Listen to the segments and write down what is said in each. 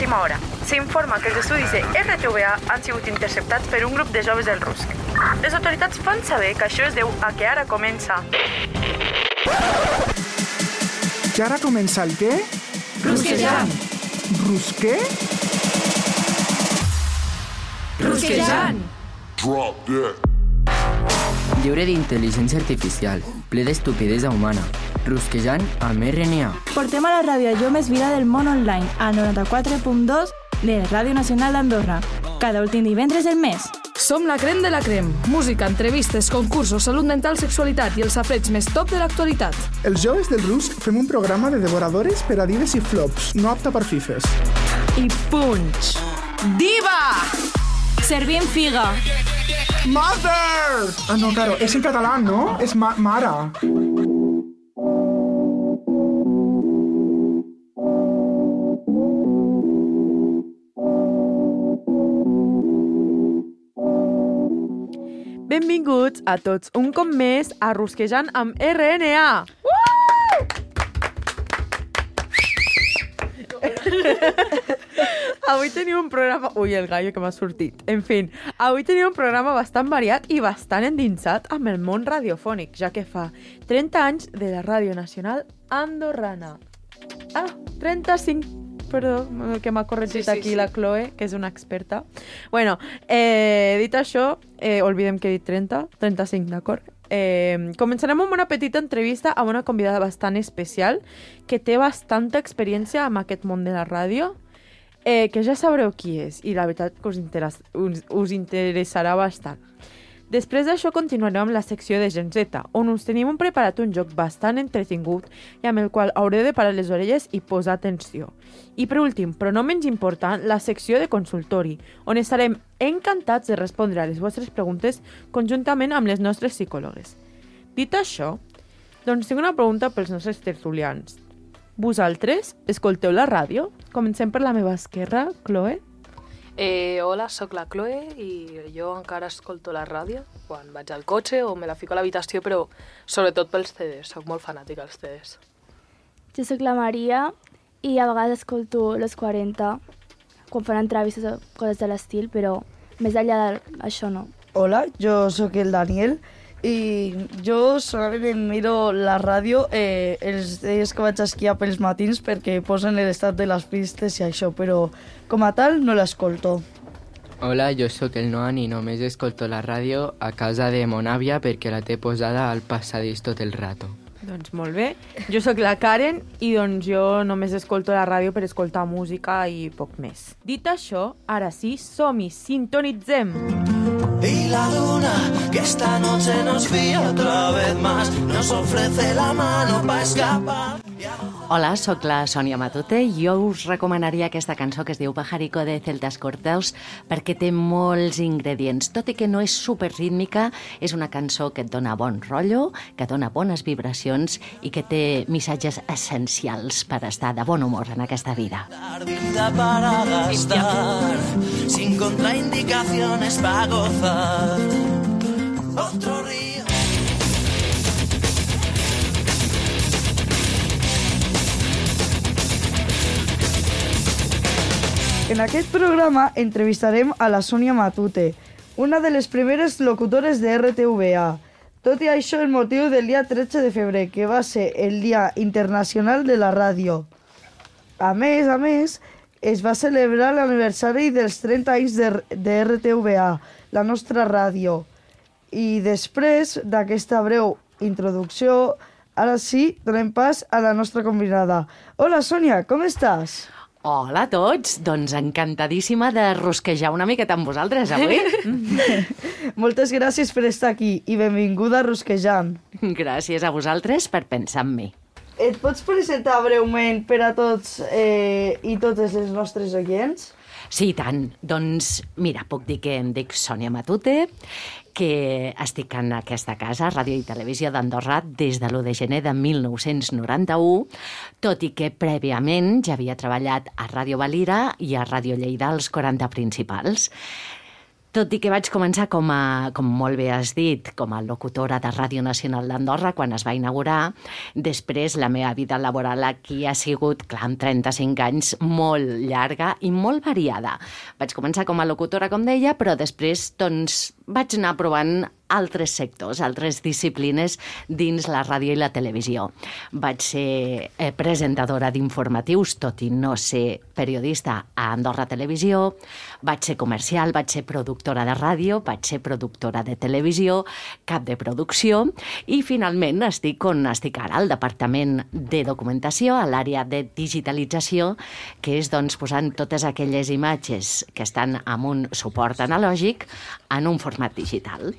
d'última hora. S'informa que els estudis de RTVA han sigut interceptats per un grup de joves del RUSC. Les autoritats fan saber que això es deu a que ara comença... Que ara comença el què? Rusquejant! Rusqué? Rusquejant! Drop that. Lliure d'intel·ligència artificial, ple d'estupidesa humana. Rusquejant amb RNA. Portem a la ràdio allò més vida del món online, al 94.2 de Ràdio Nacional d'Andorra. Cada últim divendres del mes. Som la crem de la crem. Música, entrevistes, concursos, salut mental, sexualitat i els safareig més top de l'actualitat. Els joves del RUSC fem un programa de devoradores per a dives i flops, no apta per fifes. I punch! Diva! Servim figa. Mother! Ah, no, claro, és en català, no? És mare. Benvinguts a tots un cop més a Rusquejant amb RNA. Avui tenim un programa... Ui, el gallo que m'ha sortit. En fi, avui tenim un programa bastant variat i bastant endinsat amb el món radiofònic, ja que fa 30 anys de la Ràdio Nacional Andorrana. 35... Perdó, que m'ha corregit aquí la Chloe, que és una experta. Bueno, dit això, oblidem que he dit 30, 35, d'acord? Començarem amb una petita entrevista amb una convidada bastant especial que té bastanta experiència amb aquest món de la ràdio, que ja sabreu qui és i la veritat que us interessarà bastant. Després d'això continuarem amb la secció de Gen Z, on us tenim preparat un joc bastant entretingut i amb el qual haureu de parar les orelles i posar atenció. I per últim, però no menys important, la secció de consultori, on estarem encantats de respondre a les vostres preguntes conjuntament amb les nostres psicòlogues. Dit això, doncs tinc una pregunta pels nostres tertulians. Vosaltres escolteu la ràdio? Comencem per la meva esquerra, Chloe. Hola, sóc la Chloe i jo encara escolto la ràdio quan vaig al cotxe o me la fico a l'habitació, però sobretot pels CDs, sóc molt fanàtica dels CDs. Jo sóc la Maria i a vegades escolto Los 40 quan fan entrevistes o coses de l'estil, però més enllà d'això no. Hola, jo sóc el Daniel i jo solament miro la ràdio els dies que vaig a esquiar pels matins perquè posen l'estat de les pistes i això, però com a tal no l'escolto. Hola, jo sóc el Noan i només escolto la ràdio a casa de mon àvia perquè la té posada al passadís tot el rato. Doncs molt bé. Jo sóc la Karen i doncs jo només escolto la ràdio per escoltar música i poc més. Dit això, ara sí, som-hi, sintonitzem! Y la luna que esta noche nos vio otra vez más nos ofrece la mano para escapar. Hola, sóc la Sònia Matute i jo us recomanaria aquesta cançó que es diu Pajarico de Celtas Corteus perquè té molts ingredients. Tot i que no és superrítmica, és una cançó que et dona bon rotllo, que dona bones vibracions i que té missatges essencials per estar de bon humor en aquesta vida. Para gastar, sin contraindicaciones para gozar. Otro río. En aquest programa entrevistarem a la Sònia Matute, una de les primeres locutores de RTVA. Tot i això, el motiu del dia 13 de febrer, que va ser el Dia Internacional de la Ràdio. A més, es va celebrar l'aniversari dels 30 anys de RTVA, la nostra ràdio. I després d'aquesta breu introducció, ara sí, donem pas a la nostra convidada. Hola, Sònia, com estàs? Hola a tots, doncs encantadíssima de rosquejar una miqueta amb vosaltres avui. Moltes gràcies per estar aquí i benvinguda a Rosquejant. Gràcies a vosaltres per pensar en mi. Et pots presentar breument per a tots i totes les nostres oients? Sí, i tant. Doncs mira, puc dir que em dic Sònia Matute, que estic en aquesta casa, Ràdio i Televisió d'Andorra, des de l'1 de gener de 1991, tot i que prèviament ja havia treballat a Ràdio Valira i a Ràdio Lleida, als 40 principals. Tot i que vaig començar, com molt bé has dit, com a locutora de Ràdio Nacional d'Andorra quan es va inaugurar, després la meva vida laboral aquí ha sigut, clar, amb 35 anys, molt llarga i molt variada. Vaig començar com a locutora, com deia, però després doncs, vaig anar provant altres sectors, altres disciplines dins la ràdio i la televisió. Vaig ser presentadora d'informatius, tot i no ser periodista a Andorra Televisió, vaig ser comercial, vaig ser productora de ràdio, vaig ser productora de televisió, cap de producció, i finalment estic on estic ara, al Departament de Documentació, a l'àrea de digitalització, que és doncs, posant totes aquelles imatges que estan amb un suport analògic en un format digital.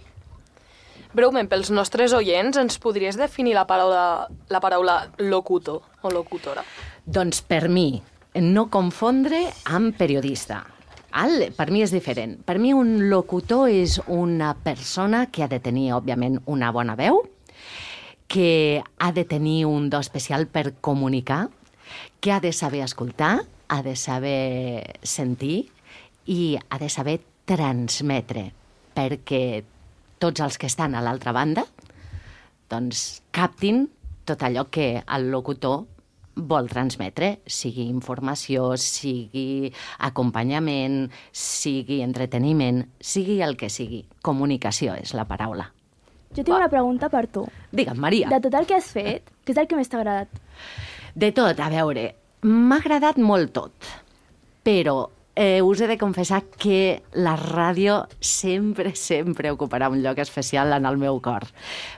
Breument, pels nostres oients, ens podries definir la paraula locutor o locutora? Doncs per mi, no confondre amb periodista. Per mi és diferent. Per mi un locutor és una persona que ha de tenir, òbviament, una bona veu, que ha de tenir un do especial per comunicar, que ha de saber escoltar, ha de saber sentir i ha de saber transmetre, perquè tots els que estan a l'altra banda doncs captin tot allò que el locutor vol transmetre, sigui informació, sigui acompanyament, sigui entreteniment, sigui el que sigui. Comunicació és la paraula. Jo tinc una pregunta per tu. Digue'm, Maria. De tot el que has fet, què és el que més t'ha agradat? De tot, a veure, m'ha agradat molt tot, però us he de confessar que la ràdio sempre ocuparà un lloc especial en el meu cor,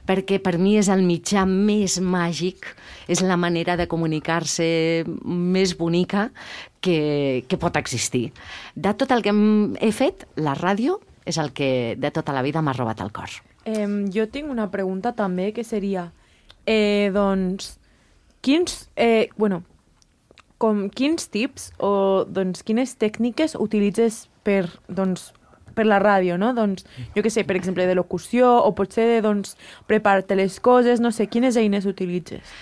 perquè per mi és el mitjà més màgic, és la manera de comunicar-se més bonica que pot existir. De tot el que he fet, la ràdio és el que de tota la vida m'ha robat el cor. Jo tinc una pregunta també, que seria, doncs, quins tips o quines tècniques utilitzes per la ràdio, no? Doncs, jo què sé, per exemple, de locució o potser de preparar-te les coses, no sé, quines eines utilitzes?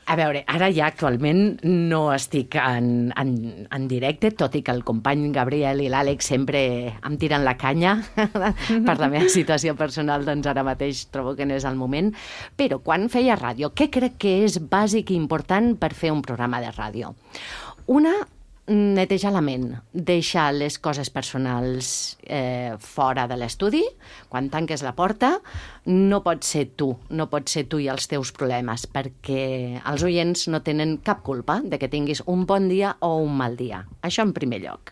A veure, ara ja actualment no estic en directe, tot i que el company Gabriel i l'Àlex sempre em tiren la canya per la meva situació personal, doncs ara mateix trobo que no és el moment. Però quan feia ràdio, què crec que és bàsic i important per fer un programa de ràdio? Una, netejar la ment, deixar les coses personals fora de l'estudi. Quan tanques la porta, no pots ser tu i els teus problemes, perquè els oients no tenen cap culpa de que tinguis un bon dia o un mal dia. Això en primer lloc.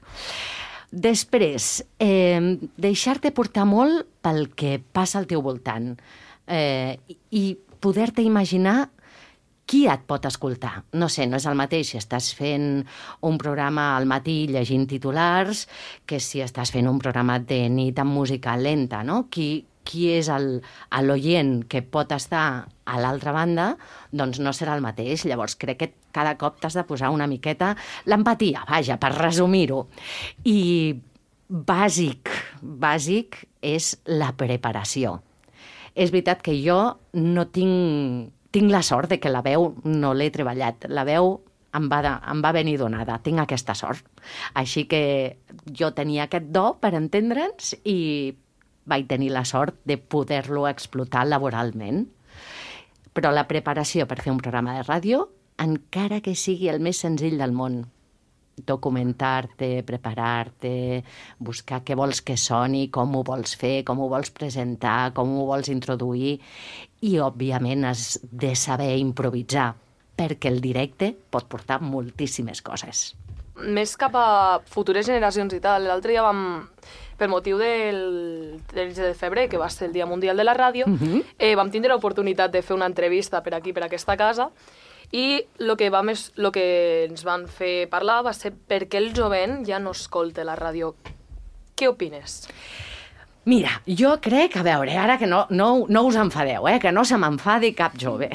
Després, deixar-te portar molt pel que passa al teu voltant i poder-te imaginar qui et pot escoltar. No sé, no és el mateix si estàs fent un programa al matí llegint titulars que si estàs fent un programa de nit amb música lenta, no? Qui és l'oient que pot estar a l'altra banda, doncs no serà el mateix. Llavors crec que cada cop t'has de posar una miqueta l'empatia, vaja, per resumir-ho. I bàsic és la preparació. És veritat que jo no tinc la sort de que la veu no l'he treballat. La veu em va venir donada, tinc aquesta sort. Així que jo tenia aquest do per entendre'ns i vaig tenir la sort de poder-lo explotar laboralment. Però la preparació per fer un programa de ràdio, encara que sigui el més senzill del món, documentar-te, preparar-te, buscar què vols que soni, com ho vols fer, com ho vols presentar, com ho vols introduir, i òbviament has de saber improvisar, perquè el directe pot portar moltíssimes coses. Més cap a futures generacions i tal, l'altre dia per motiu del 13 de febrer, que va ser el Dia Mundial de la Ràdio, vam tindre l'oportunitat de fer una entrevista per aquí, per aquesta casa, i el que ens van fer parlar va ser per què el jovent ja no escolta la ràdio. Què opines? Mira, jo crec, a veure, ara que no us enfadeu, que no se m'enfadi cap jove.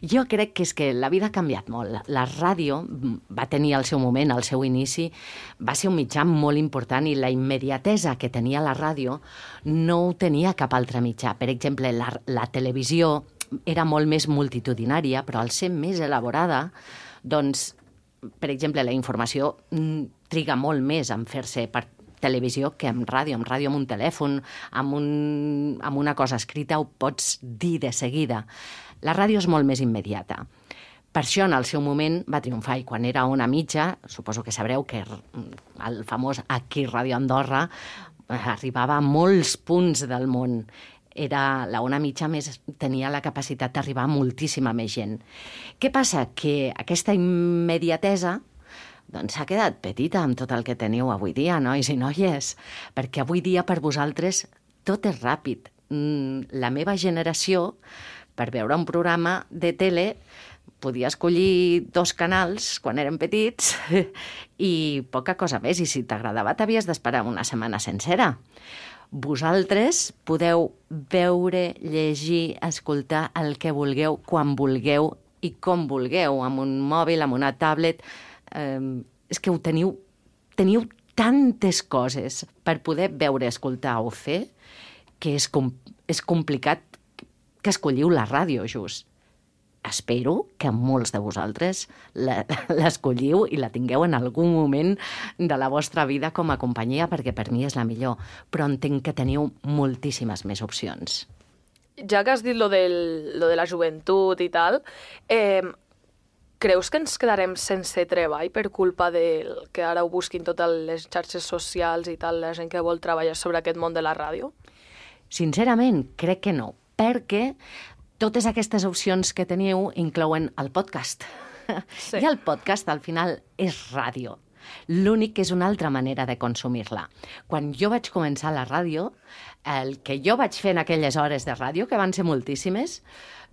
Jo crec que és que la vida ha canviat molt. La ràdio va tenir el seu moment, el seu inici, va ser un mitjà molt important i la immediatesa que tenia la ràdio no ho tenia cap altre mitjà. Per exemple, la televisió era molt més multitudinària, però al ser més elaborada, doncs, per exemple, la informació triga molt més en fer-se televisió que amb ràdio. Amb ràdio, amb un telèfon, amb una cosa escrita, ho pots dir de seguida. La ràdio és molt més immediata. Per això, en el seu moment, va triomfar. I quan era Ona Mitja, suposo que sabreu que el famós Aquí Ràdio Andorra arribava a molts punts del món. La Ona Mitja tenia la capacitat d'arribar a moltíssima més gent. Què passa? Que aquesta immediatesa s'ha quedat petita amb tot el que teniu avui dia, nois i noies, perquè avui dia per vosaltres tot és ràpid. La meva generació, per veure un programa de tele, podia escollir 2 canals quan érem petits i poca cosa més, i si t'agradava t'havies d'esperar una setmana sencera. Vosaltres podeu veure, llegir, escoltar el que vulgueu, quan vulgueu i com vulgueu, amb un mòbil, amb una tablet. És que ho teniu tantes coses per poder veure, escoltar o fer que és complicat que escolliu la ràdio, just. Espero que molts de vosaltres l'escolliu i la tingueu en algun moment de la vostra vida com a companyia, perquè per mi és la millor, però entenc que teniu moltíssimes més opcions. Ja que has dit lo de la joventut i tal, creus que ens quedarem sense treball per culpa del que ara ho busquin totes les xarxes socials i tal, la gent que vol treballar sobre aquest món de la ràdio? Sincerament, crec que no, perquè totes aquestes opcions que teniu inclouen el podcast. Sí. I el podcast, al final, és ràdio. L'únic que és una altra manera de consumir-la. Quan jo vaig començar la ràdio, el que jo vaig fer en aquelles hores de ràdio, que van ser moltíssimes,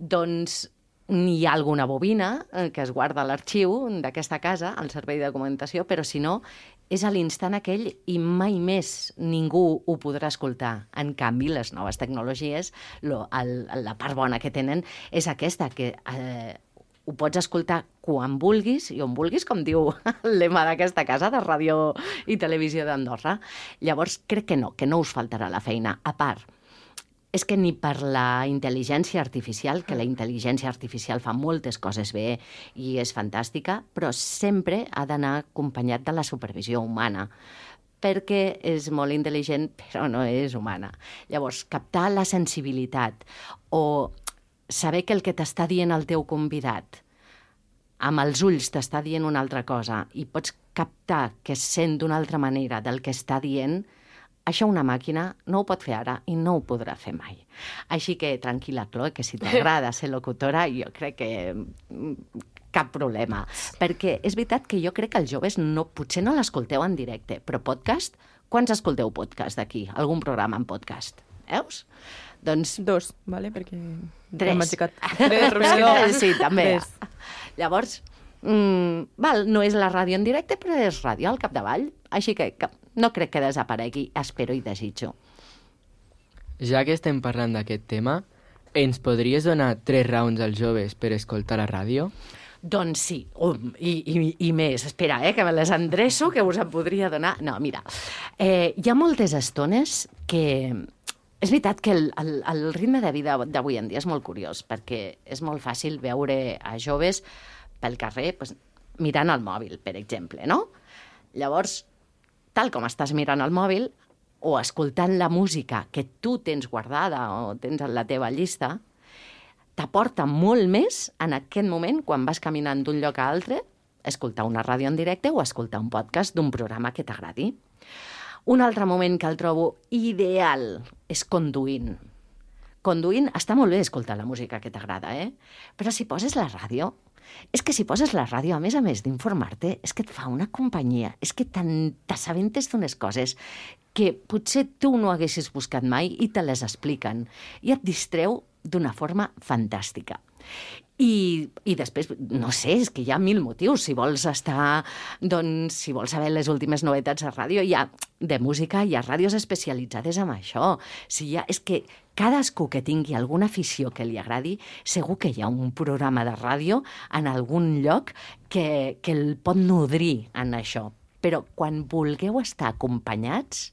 doncs hi ha alguna bobina que es guarda a l'arxiu d'aquesta casa, al servei de documentació, però si no, és a l'instant aquell i mai més ningú ho podrà escoltar. En canvi, les noves tecnologies, la part bona que tenen és aquesta, que ho pots escoltar quan vulguis i on vulguis, com diu el lema d'aquesta casa de Ràdio i Televisió d'Andorra. Llavors, crec que no us faltarà la feina. A part, és que ni per la intel·ligència artificial, que la intel·ligència artificial fa moltes coses bé i és fantàstica, però sempre ha d'anar acompanyat de la supervisió humana, perquè és molt intel·ligent però no és humana. Llavors, captar la sensibilitat o saber que el que t'està dient el teu convidat amb els ulls t'està dient una altra cosa i pots captar que sent d'una altra manera del que està dient, això una màquina no ho pot fer ara i no ho podrà fer mai. Així que tranquil·la, Chloe, que si t'agrada ser locutora, jo crec que cap problema. Perquè és veritat que jo crec que els joves potser no l'escolteu en directe, però podcast, quants escolteu podcast d'aquí? Algun programa en podcast? Veus? Doncs 2, vale? Perquè 3. 3, sí, també. Llavors, no és la ràdio en directe, però és ràdio al capdavall. Així que no crec que desaparegui, espero i desitjo. Ja que estem parlant d'aquest tema, ens podries donar 3 raons als joves per escoltar la ràdio? Doncs sí, i més. Espera, que me les endreço, que us en podria donar. No, mira, hi ha moltes estones que... És veritat que el ritme de vida d'avui en dia és molt curiós, perquè és molt fàcil veure a joves pel carrer mirant el mòbil, per exemple, no? Llavors, tal com estàs mirant el mòbil o escoltant la música que tu tens guardada o tens en la teva llista, t'aporta molt més en aquest moment, quan vas caminant d'un lloc a altre, escoltar una ràdio en directe o escoltar un podcast d'un programa que t'agradi. Un altre moment que el trobo ideal és conduint. Conduint està molt bé escoltar la música que t'agrada, però si poses la ràdio, és que si poses la ràdio, a més d'informar-te, és que et fa una companyia, és que t'assabentes d'unes coses que potser tu no haguessis buscat mai i te les expliquen i et distreu d'una forma fantàstica. I després, no sé, és que hi ha 1000 motius. Si vols estar, doncs, si vols saber les últimes novetats de ràdio, de música, hi ha ràdios especialitzades en això. És que cadascú que tingui alguna afició que li agradi, segur que hi ha un programa de ràdio en algun lloc que el pot nodrir en això. Però quan vulgueu estar acompanyats,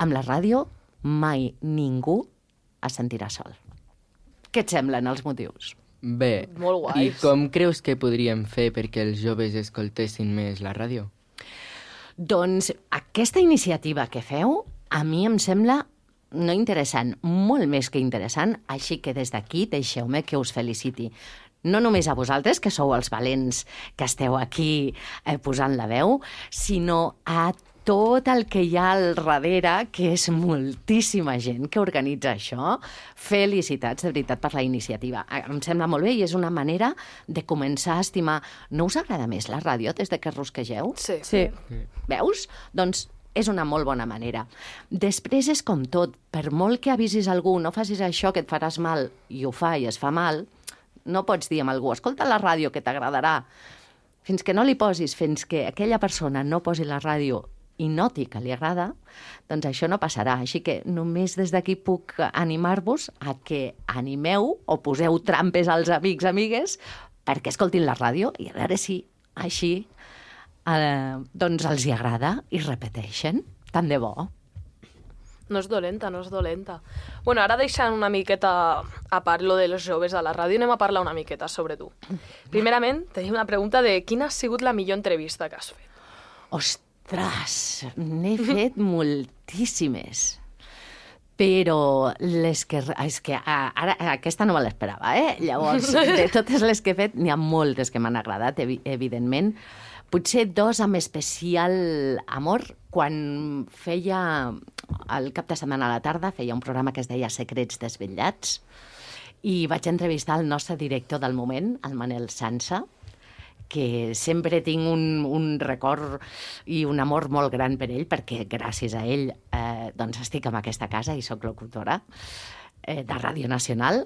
amb la ràdio mai ningú es sentirà sol. Què et semblen els motius? Bé, molt guais. I com creus que podríem fer perquè els joves escoltessin més la ràdio? Doncs Aquesta iniciativa que feu, a mi em sembla no interessant, molt més que interessant, així que des d'aquí deixeu-me que us feliciti. No només a vosaltres, que sou els valents que esteu aquí posant la veu, sinó a tot el que hi ha al darrere, que és moltíssima gent que organitza això. Felicitats, de veritat, per la iniciativa. Em sembla molt bé i és una manera de començar a estimar. No us agrada més la ràdio des de que rusquegeu? Sí. Veus? Doncs és una molt bona manera. Després és com tot. Per molt que avisis algú, no facis això que et faràs mal, i ho fa i es fa mal, no pots dir a algú, escolta la ràdio que t'agradarà. Fins que no li posis, fins que aquella persona no posi la ràdio i noti que li agrada, doncs això no passarà. Així que només des d'aquí puc animar-vos a que animeu o poseu trampes als amics, amigues, perquè escoltin la ràdio i a veure si així doncs els hi agrada i repeteixen. Tant de bo. No és dolenta, no és dolenta. Bueno, ara deixant una miqueta a part lo de los joves a la ràdio, anem a parlar una miqueta sobre tu. Primerament, tenim una pregunta de quina ha sigut la millor entrevista que has fet? Ostres, n'he fet moltíssimes. Però les que... És que ara aquesta no me l'esperava, Llavors, de totes les que he fet, n'hi ha moltes que m'han agradat, evidentment. Potser dos amb especial amor. Quan feia el cap de setmana a la tarda, feia un programa que es deia Secrets desvetllats, i vaig entrevistar el nostre director del moment, el Manel Sansa, que sempre tinc un record i un amor molt gran per ell, perquè gràcies a ell doncs estic en aquesta casa i sóc locutora de Ràdio Nacional.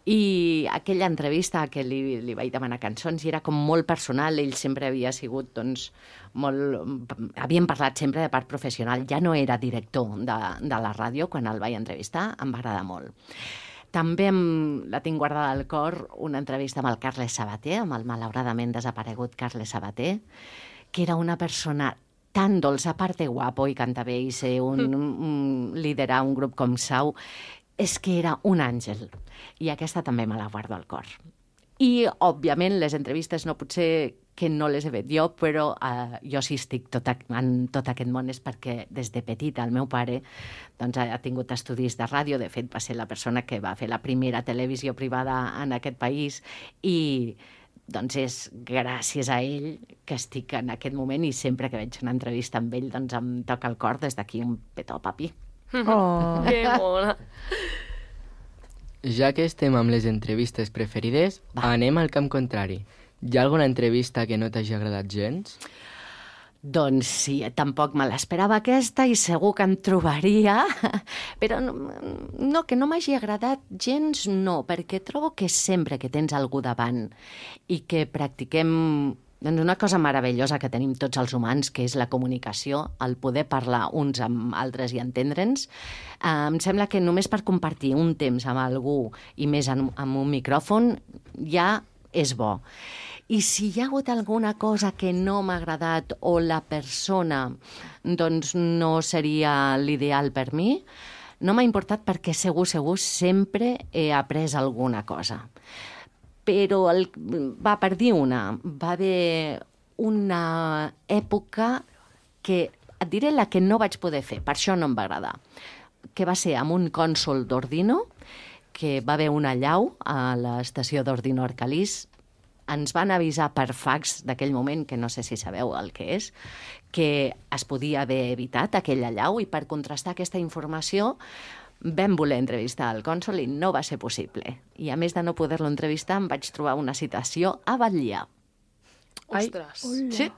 I aquella entrevista que li vaig demanar cançons i era com molt personal, ell sempre havia sigut doncs molt... Havíem parlat sempre de part professional, ja no era director de la ràdio quan el vaig entrevistar, em va agradar molt. També la tinc guardada al cor una entrevista amb el Carles Sabater, amb el malauradament desaparegut Carles Sabater, que era una persona tan dolça, a part de guapo i canta bé i ser liderar un grup com Sau, és que era un àngel. I aquesta també me la guardo al cor. I, òbviament, les entrevistes no potser que no les he fet jo, però jo sí estic en tot aquest món és perquè des de petita el meu pare doncs, ha tingut estudis de ràdio, de fet va ser la persona que va fer la primera televisió privada en aquest país i doncs és gràcies a ell que estic en aquest moment i sempre que veig una entrevista amb ell doncs em toca el cor des d'aquí un petó, papi. Oh, que mona. Ja que estem amb les entrevistes preferides, anem al camp contrari. Hi ha alguna entrevista que no t'hagi agradat gens? Doncs sí, tampoc me l'esperava aquesta i segur que em trobaria, però no, que no m'hagi agradat gens no, perquè trobo que sempre que tens algú davant i que practiquem doncs una cosa meravellosa que tenim tots els humans, que és la comunicació, el poder parlar uns amb altres i entendre'ns. Em sembla que només per compartir un temps amb algú i més amb un micròfon ja és bo. I si hi ha hagut alguna cosa que no m'ha agradat o la persona doncs no seria l'ideal per mi, no m'ha importat perquè segur sempre he après alguna cosa. Però per dir va haver una època que, et diré la que no vaig poder fer, per això no em va agradar, que va ser amb un cònsol d'Ordino, que va haver una allau a l'estació d'Ordino Arcalís. Ens van avisar per fax d'aquell moment, que no sé si sabeu el que és, que es podia haver evitat aquella allau i per contrastar aquesta informació vam voler entrevistar el cònsol i no va ser possible. I a més de no poder-lo entrevistar, em vaig trobar una citació a Batllà. Ostres. Sí.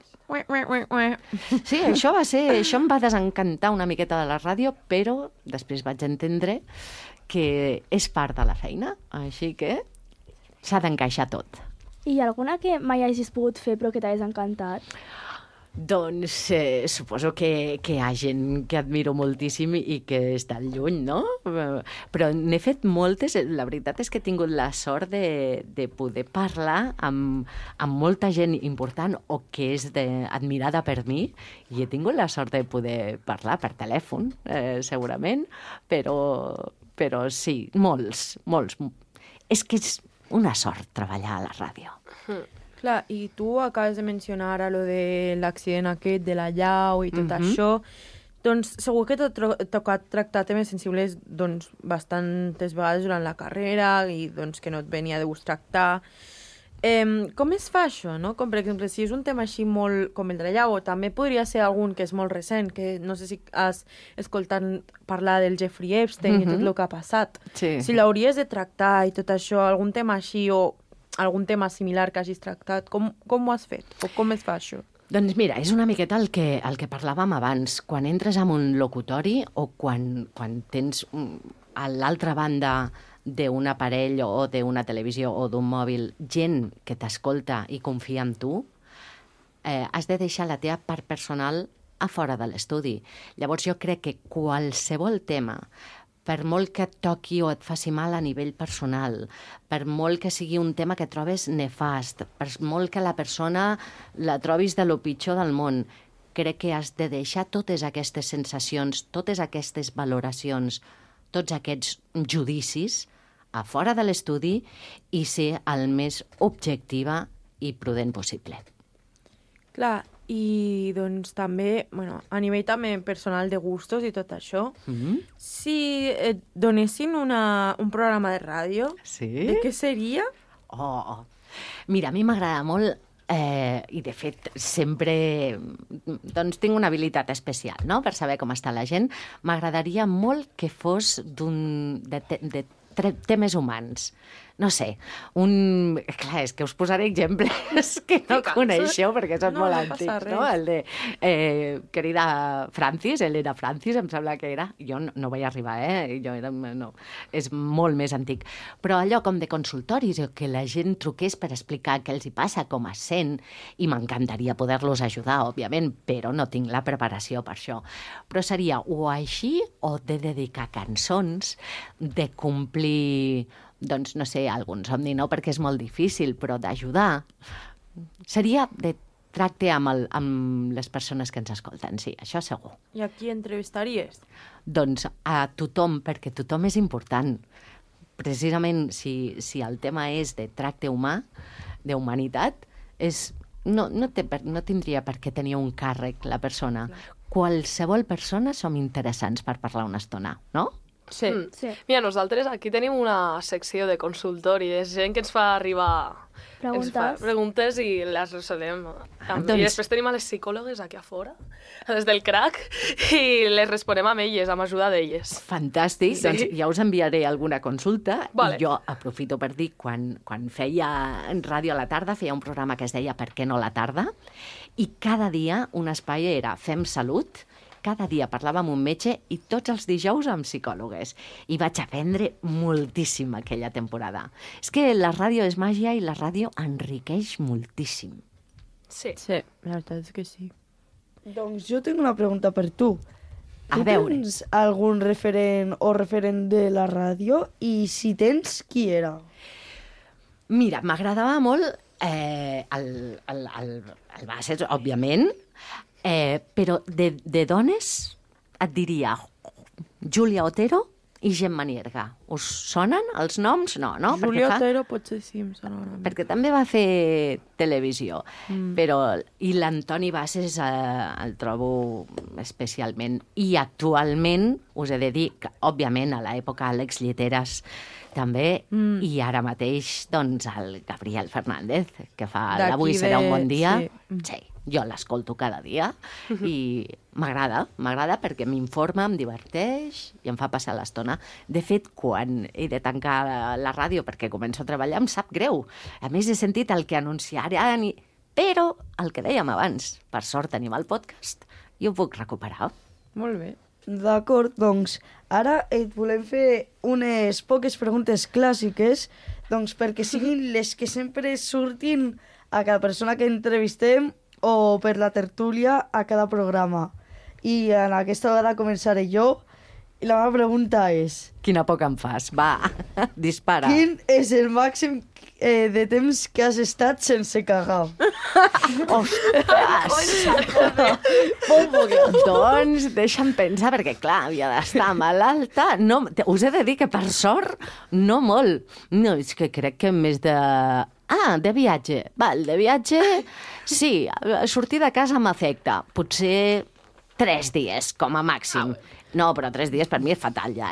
Sí, això em va desencantar una miqueta de la ràdio, però després vaig entendre que és part de la feina, així que s'ha d'encaixar tot. I alguna que mai hagis pogut fer però que t'hagués encantat? Doncs suposo que hi ha gent que admiro moltíssim i que està lluny, no? Però n'he fet moltes. La veritat és que he tingut la sort de poder parlar amb molta gent important o que és admirada per mi i he tingut la sort de poder parlar per telèfon, segurament, però sí, molts. És que és una sort treballar a la ràdio. Clar, i tu acabes de mencionar a lo de l'accident aquest de la llau i tot això. Doncs segur que t'ha tocat tractar temes sensibles doncs, bastantes vegades durant la carrera i doncs, que no et venia de gust tractar. Com es fa això, no? Com per exemple, si és un tema així molt com el de la llau, o també podria ser algun que és molt recent, que no sé si has escoltat parlar del Jeffrey Epstein i tot el que ha passat. Sí. Si l'hauries de tractar i tot això, algun tema així o algun tema similar que hagis tractat, com ho has fet? O com es fa això? Doncs mira, és una miqueta el que parlàvem abans. Quan entres en un locutori o quan tens a l'altra banda d'un aparell o d'una televisió o d'un mòbil gent que t'escolta i confia en tu, has de deixar la teva part personal a fora de l'estudi. Llavors jo crec que qualsevol tema, per molt que et toqui o et faci mal a nivell personal, per molt que sigui un tema que trobes nefast, per molt que la persona la trobis de lo pitjor del món, crec que has de deixar totes aquestes sensacions, totes aquestes valoracions, tots aquests judicis a fora de l'estudi i ser el més objectiva i prudent possible. Clar, i doncs també, bueno, a nivell també personal de gustos i tot això, si et donessin un programa de ràdio, de què seria? Mira, a mi m'agrada molt i de fet sempre doncs tinc una habilitat especial, no?, per saber com està la gent. M'agradaria molt que fos de temes humans. No sé, clar, és que us posaré exemples que no coneixeu perquè són molt antics, no? El de querida Francis, Elena Francis, em sembla que era. Jo no vaig arribar, no, és molt més antic. Però allò com de consultoris, que la gent truqués per explicar què els hi passa, com es sent, i m'encantaria poder-los ajudar, òbviament, però no tinc la preparació per això. Però seria o així o de dedicar cançons, de complir, doncs, no sé, algun somni, no, perquè és molt difícil, però d'ajudar. Seria de tracte amb les persones que ens escolten, sí, això segur. I a qui entrevistaries? Doncs a tothom, perquè tothom és important. Precisament, si el tema és de tracte humà, d'humanitat, no tindria per què tenir un càrrec la persona. Qualsevol persona som interessants per parlar una estona, no? Sí. Mira, nosaltres aquí tenim una secció de consultori, és gent que ens fa arribar preguntes i les resolem. I després tenim a les psicòlogues aquí a fora, les del CRAC, i les responem amb elles, amb ajuda d'elles. Fantàstic, doncs ja us enviaré alguna consulta. Vale. I jo aprofito per dir, quan feia en ràdio a la tarda, feia un programa que es deia Per què no la tarda? I cada dia un espai era Fem Salut. Cada dia parlava amb un metge i tots els dijous amb psicòlogues. I vaig aprendre moltíssim aquella temporada. És que la ràdio és màgia i la ràdio enriqueix moltíssim. Sí, la veritat és que sí. Doncs jo tinc una pregunta per tu. A veure. Tens algun referent o referent de la ràdio? I si tens, qui era? Mira, m'agradava molt el Bassett, òbviament, però de dones et diria Júlia Otero i Gemma Nierga. Us sonen els noms? No? Júlia Otero potser sí em sona una mica. Perquè també va fer televisió. I l'Antoni Bassett el trobo especialment. I actualment us he de dir que, òbviament, a l'època Àlex Lliteres també, i ara mateix doncs, el Gabriel Fernández, que fa l'Avui serà un bon dia. Sí, jo l'escolto cada dia i m'agrada perquè m'informa, em diverteix i em fa passar l'estona. De fet, quan he de tancar la ràdio perquè començo a treballar, em sap greu. A més, he sentit el que anunciaran, però el que dèiem abans, per sort tenim el podcast i ho puc recuperar. Molt bé. D'acord, doncs ara et volem fer unes poques preguntes clàssiques, doncs perquè siguin les que sempre surtin a cada persona que entrevistem o per la tertúlia a cada programa. I en aquesta vegada començaré jo. I la meva pregunta és... Quina por que em fas. Va, dispara. Quin és el màxim de temps que has estat sense cagar? Doncs deixa'm pensar, perquè clar, havia d'estar malalta. No, us he de dir que per sort no molt. No, és que crec que més de... de viatge. Val, de viatge, sí, sortir de casa m'afecta. Potser 3 dies, com a màxim. No, però 3 dies per mi és fatal ja,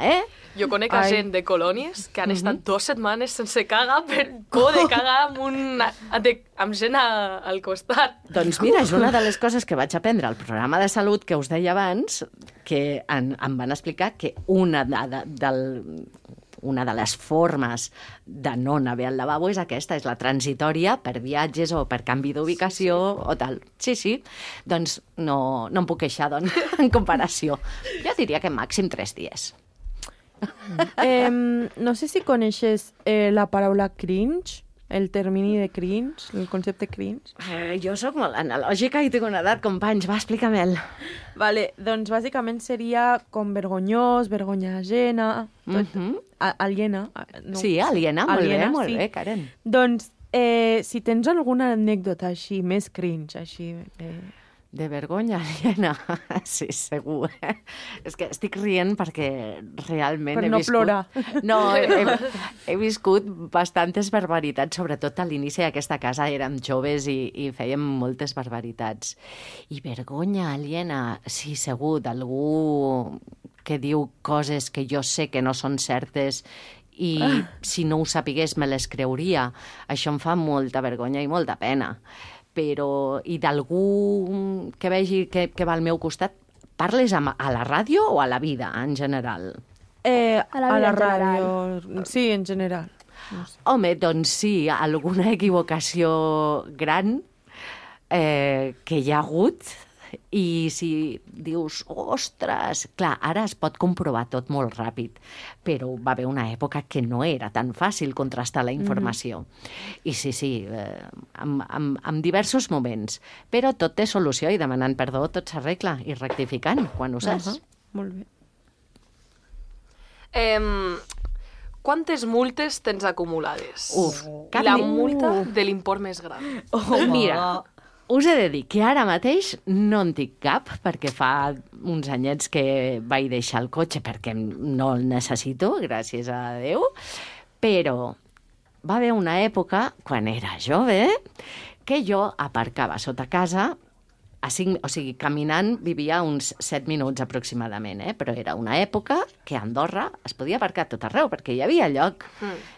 Jo conec gent de colònies que han estat 2 setmanes sense cagar per por de cagar amb gent al costat. Doncs mira, és una de les coses que vaig aprendre al programa de salut que us deia abans, que em van explicar que una de les formes de no anar bé al lavabo és aquesta, és la transitòria per viatges o per canvi d'ubicació o tal. Sí. Doncs no em puc queixar, doncs, en comparació. Jo diria que màxim 3 dies. No sé si coneixes la paraula cringe, el termini de cringe, el concepte cringe. Jo sóc molt analògica i tinc una edat, companys, va, explica-me'l. Vale, doncs bàsicament seria com vergonyós, vergonya ajena, aliena. No, sí, aliena, molt bé, Karen. Doncs, si tens alguna anècdota així, més cringe, així... De vergonya aliena, sí, segur. És que estic rient perquè realment he viscut... Per no plorar. No, he viscut bastantes barbaritats, sobretot a l'inici d'aquesta casa érem joves i fèiem moltes barbaritats. I vergonya aliena, sí, segur, d'algú que diu coses que jo sé que no són certes i si no ho sapigués me les creuria. Això em fa molta vergonya i molta pena. Però, i d'algú que vegi que va al meu costat, parles a la ràdio o a la vida, en general? A la ràdio, sí, en general. No sé. Home, doncs sí, alguna equivocació gran que hi ha hagut, i si dius, ostres, clar, ara es pot comprovar tot molt ràpid, però va haver una època que no era tan fàcil contrastar la informació. I sí, en diversos moments, però tot té solució i demanant perdó tot s'arregla i rectificant quan ho saps. Molt bé. Quantes multes tens acumulades? La multa de l'import més gran. Mira, us he de dir que ara mateix no en tinc cap, perquè fa uns anyets que vaig deixar el cotxe perquè no el necessito, gràcies a Déu, però va haver una època, quan era jove, que jo aparcava sota casa, caminant vivia uns 7 minuts aproximadament, però era una època que a Andorra es podia aparcar tot arreu, perquè hi havia lloc.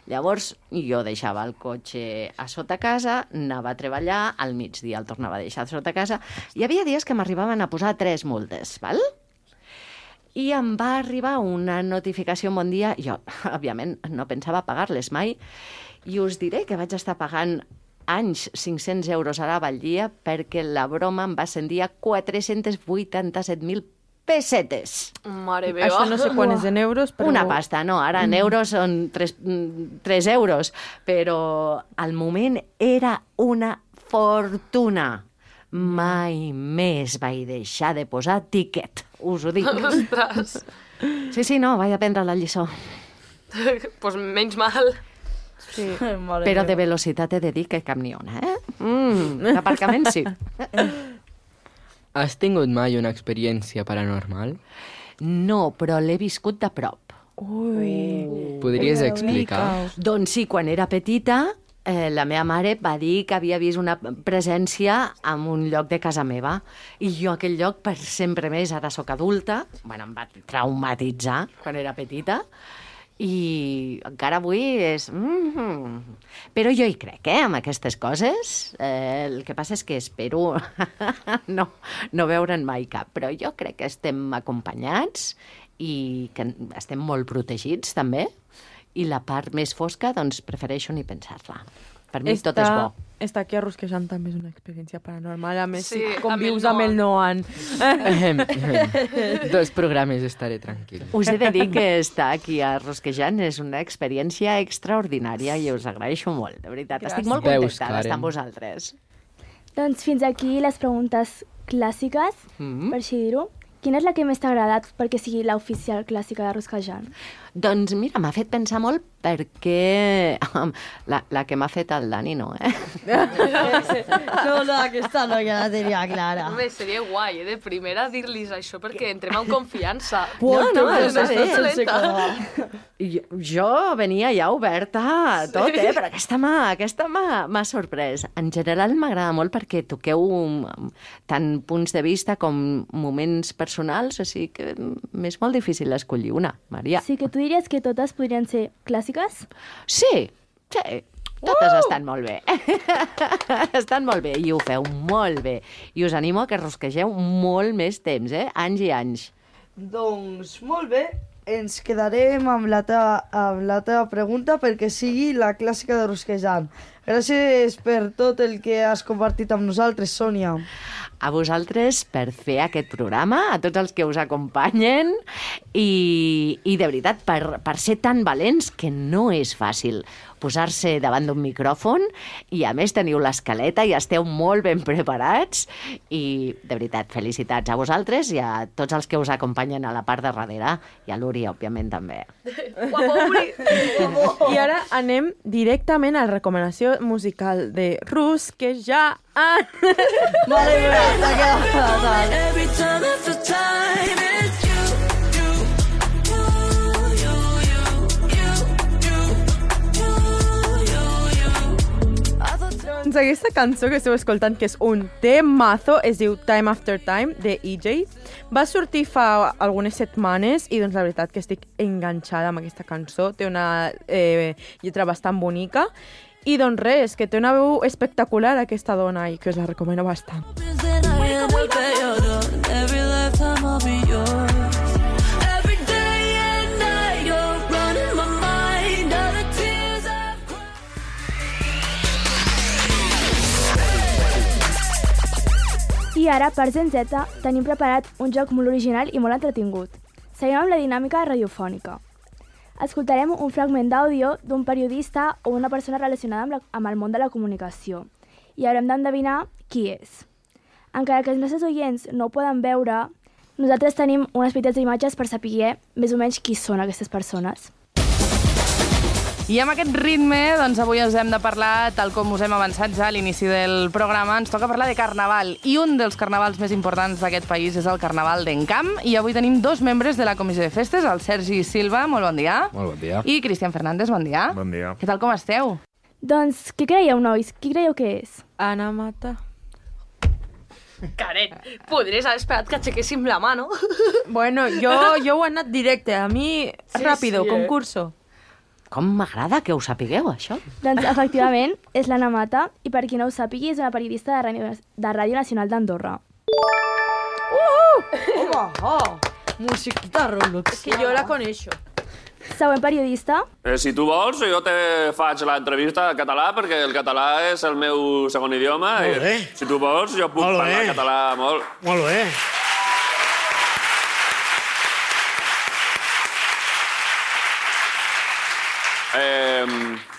Llavors jo deixava el cotxe a sota casa, anava a treballar, al migdia el tornava a deixar a sota casa. Hi havia dies que m'arribaven a posar 3 multes, val? I em va arribar una notificació un bon dia, jo, òbviament, no pensava pagar-les mai, i us diré que vaig estar pagant anys 500 euros a la Valdia perquè la broma em va ascendir a 487.000 pessetes. Mare meva. Això no sé quan és en euros, però... Una pasta, no, ara en euros són 3 euros, però al moment era una fortuna. Mai més vaig deixar de posar tiquet, us ho dic. Ostres. Sí, no, vaig aprendre la lliçó. Pues menys mal. Sí. Però de velocitat he de dir que cap ni una, D'aparcament sí. Has tingut mai una experiència paranormal? No, però l'he viscut de prop. Podries explicar? Doncs sí, quan era petita, la meva mare va dir que havia vist una presència en un lloc de casa meva. I jo aquell lloc, per sempre més, ara sóc adulta, em va traumatitzar quan era petita, i encara avui és... Però jo hi crec, amb aquestes coses. El que passa és que espero no veure'n mai cap, però jo crec que estem acompanyats i que estem molt protegits, també, i la part més fosca, doncs, prefereixo ni pensar-la. Per mi tot és bo. Estar aquí a Rosquejant també és una experiència paranormal. A més, sí, com vius amb el Noan. 2 programes estaré tranquil. Us he de dir que estar aquí a Rosquejant és una experiència extraordinària i us agraeixo molt, de veritat. Gràcies. Estic molt contenta d'estar amb vosaltres. Doncs fins aquí les preguntes clàssiques, per així dir-ho. Quina és la que més t'ha agradat perquè sigui l'oficial clàssica de Rosquejant? Doncs mira, m'ha fet pensar molt perquè la que m'ha fet el Dani no, No, aquesta no ja la tenia clara. Home, seria guai, de primera dir-los això perquè entrem en confiança. No, estàs excel·lenta. Jo venia ja oberta a tot, però aquesta m'ha sorprès. En general m'agrada molt perquè toqueu tant punts de vista com moments personals, o sigui que m'és molt difícil escollir una, Maria. Sí que tu diries que totes podrien ser clàssiques? Sí, totes estan molt bé. Estan molt bé i ho feu molt bé. I us animo a que rosquegeu molt més temps, anys i anys. Doncs molt bé, ens quedarem amb la teva pregunta perquè sigui la clàssica de Rosquejant. Gràcies per tot el que has compartit amb nosaltres, Sònia. A vosaltres per fer aquest programa, a tots els que us acompanyen i de veritat, per ser tan valents que no és fàcil posar-se davant d'un micròfon i a més teniu l'escaleta i esteu molt ben preparats i de veritat, felicitats a vosaltres i a tots els que us acompanyen a la part de darrere i a l'Uri, òbviament, també. Guapo, Uri! I ara anem directament a la recomanació musical de Rus, que ja han... Vale, t'ha quedat fatal. Every time after time it's you. Doncs aquesta cançó que esteu escoltant, que és un temazo, es diu Time After Time, de EJ. Va sortir fa algunes setmanes i doncs la veritat que estic enganxada amb aquesta cançó. Té una lletra bastant bonica. I doncs res, que té una veu espectacular aquesta dona i que us la recomano bastant. I ara, per Gen Z, tenim preparat un joc molt original i molt entretingut. Seguim amb la dinàmica radiofònica. Escoltarem un fragment d'àudio d'un periodista o una persona relacionada amb el món de la comunicació i haurem d'endevinar qui és. Encara que els nostres oients no ho poden veure, nosaltres tenim unes petites imatges per saber més o menys qui són aquestes persones. I amb aquest ritme, doncs avui us hem de parlar, tal com us hem avançat ja a l'inici del programa, ens toca parlar de carnaval. I un dels carnavals més importants d'aquest país és el Carnaval d'Encamp. I avui tenim dos membres de la Comissió de Festes, el Sergi Silva, molt bon dia. Molt bon dia. I Cristian Fernández, bon dia. Bon dia. Què tal, com esteu? Doncs, què creieu, nois? Qui creieu que és? Ana Mata. Karen, podries haver esperat que aixequéssim la mà, no? Bueno, jo ho he anat directe. A mi, ràpido, concurso. Com m'agrada que ho sapigueu, això. Doncs, efectivament, és l'Anna Mata i per qui no ho sàpigui és una periodista de Ràdio Nacional d'Andorra. Musiquita Roblox. És que jo la coneixo. Següent periodista. Si tu vols, jo te faig l'entrevista en català, perquè el català és el meu segon idioma. Molt bé. Si tu vols, jo puc parlar català molt. Molt bé.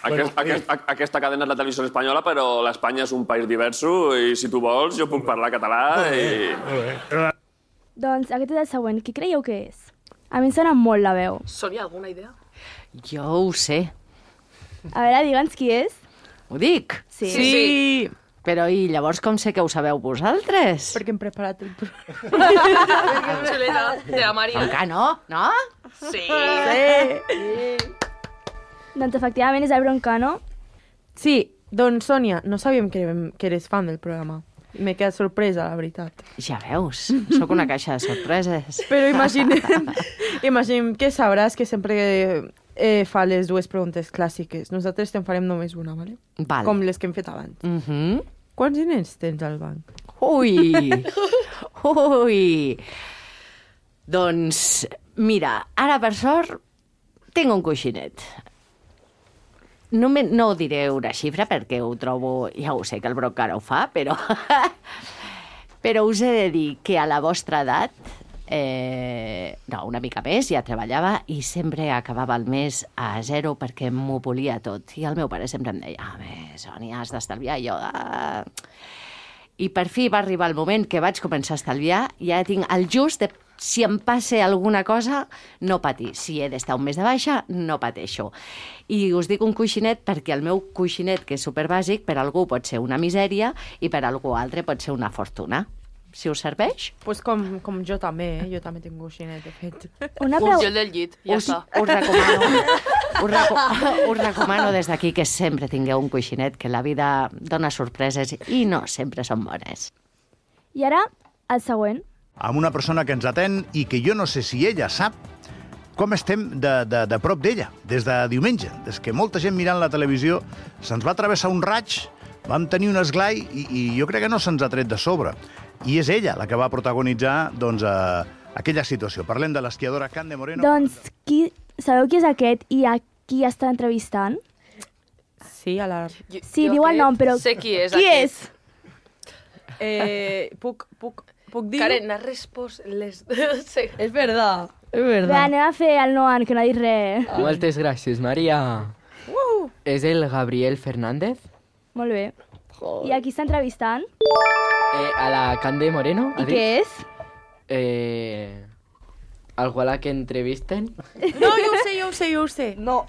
Aquesta cadena és la televisió espanyola, però l'Espanya és un país diverso i si tu vols jo puc parlar català i... Doncs aquest és el següent. Qui creieu que és? A mi em sona molt la veu. Sònia, alguna idea? Jo ho sé. A veure, digue'ns qui és. Ho dic? Sí. Però i llavors com sé que ho sabeu vosaltres? Perquè hem preparat el programa. Xuleta, de la Maria. Encara no? No? Sí. Doncs efectivament és el Broncano. Sí, doncs Sònia, no sabíem que eres fan del programa. M'he quedat sorpresa, la veritat. Ja veus, sóc una caixa de sorpreses. Però imaginem que sabràs que sempre fa les dues preguntes clàssiques. Nosaltres te'n farem només una, ¿vale? Val. Com les que hem fet abans. Quants diners tens al banc? Ui! Doncs, mira, ara per sort tinc un coixinet. No ho diré una xifra perquè ho trobo, ja ho sé que el Broncano ho fa, però us he de dir que a la vostra edat, no, una mica més, ja treballava i sempre acabava el mes a zero perquè m'ho volia tot. I el meu pare sempre em deia, Sònia, has d'estalviar. I jo, I per fi va arribar el moment que vaig començar a estalviar i ja tinc el just si em passa alguna cosa, no patir. Si he d'estar un mes de baixa, no pateixo. I us dic un coixinet perquè el meu coixinet, que és superbàsic, per algú pot ser una misèria i per algú altre pot ser una fortuna. Si us serveix? Pues com jo també, jo també tinc un coixinet, de fet. Jo el del llit, ja està. Us recomano des d'aquí que sempre tingueu un coixinet, que la vida dona sorpreses i no sempre són bones. I ara, el següent. Amb una persona que ens atén i que jo no sé si ella sap com estem de prop d'ella, des de diumenge. Des que molta gent mirant la televisió se'ns va travessar un raig, vam tenir un esglai i jo crec que no se'ns ha tret de sobre. I és ella la que va protagonitzar aquella situació. Parlem de l'esquiadora Cande Moreno. Doncs, sabeu qui és aquest i a qui està entrevistant? Sí, a la... Sí, diu el nom, però... Sé qui és Qui és? Puc dir... Karen, has respost les... Sí. És verdad. Bé, anem a fer el Noan, que no ha dit res. Moltes gràcies, Maria. És el Gabriel Fernández? Molt bé. I a qui està entrevistant? A la Cande Moreno. I què és? Algú a la que entrevisten? No, jo ho sé. No,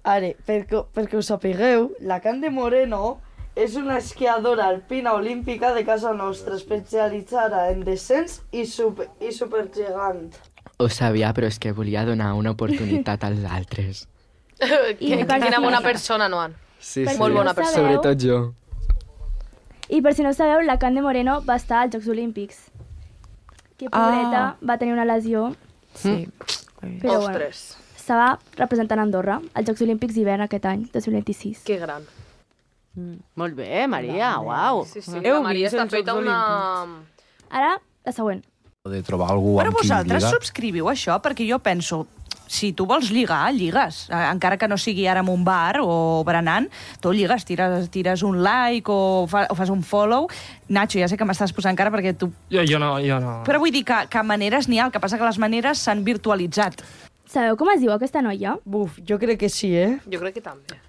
ara, perquè us sapigueu, la Cande Moreno és una esquiadora alpina olímpica de casa nostra, especialitzada en descens i supergegant. Ho sabia, però és que volia donar una oportunitat als altres. Quina bona persona, Noan. Sí, Molt bona persona. Sobretot jo. I per si no sabeu, la Cande Moreno va estar als Jocs Olímpics. Que pobreta, va tenir una lesió. Sí. Però bueno, estava representant Andorra als Jocs Olímpics d'hivern aquest any, 2026. Que gran. Molt bé, Maria, uau. Sí, la Maria està feta una... Ara, la següent. De trobar algú Però amb qui vosaltres lligar. subscriviu això? Perquè jo penso, si tu vols lligar, lligues. Encara que no sigui ara en un bar o berenant, tu lligues, tires un like o fas un follow. Nacho, ja sé que m'estàs posant cara perquè tu... Jo no. Però vull dir que maneres n'hi ha, el que passa que les maneres s'han virtualitzat. Sabeu com es diu aquesta noia? Buf, jo crec que sí, Jo crec que també.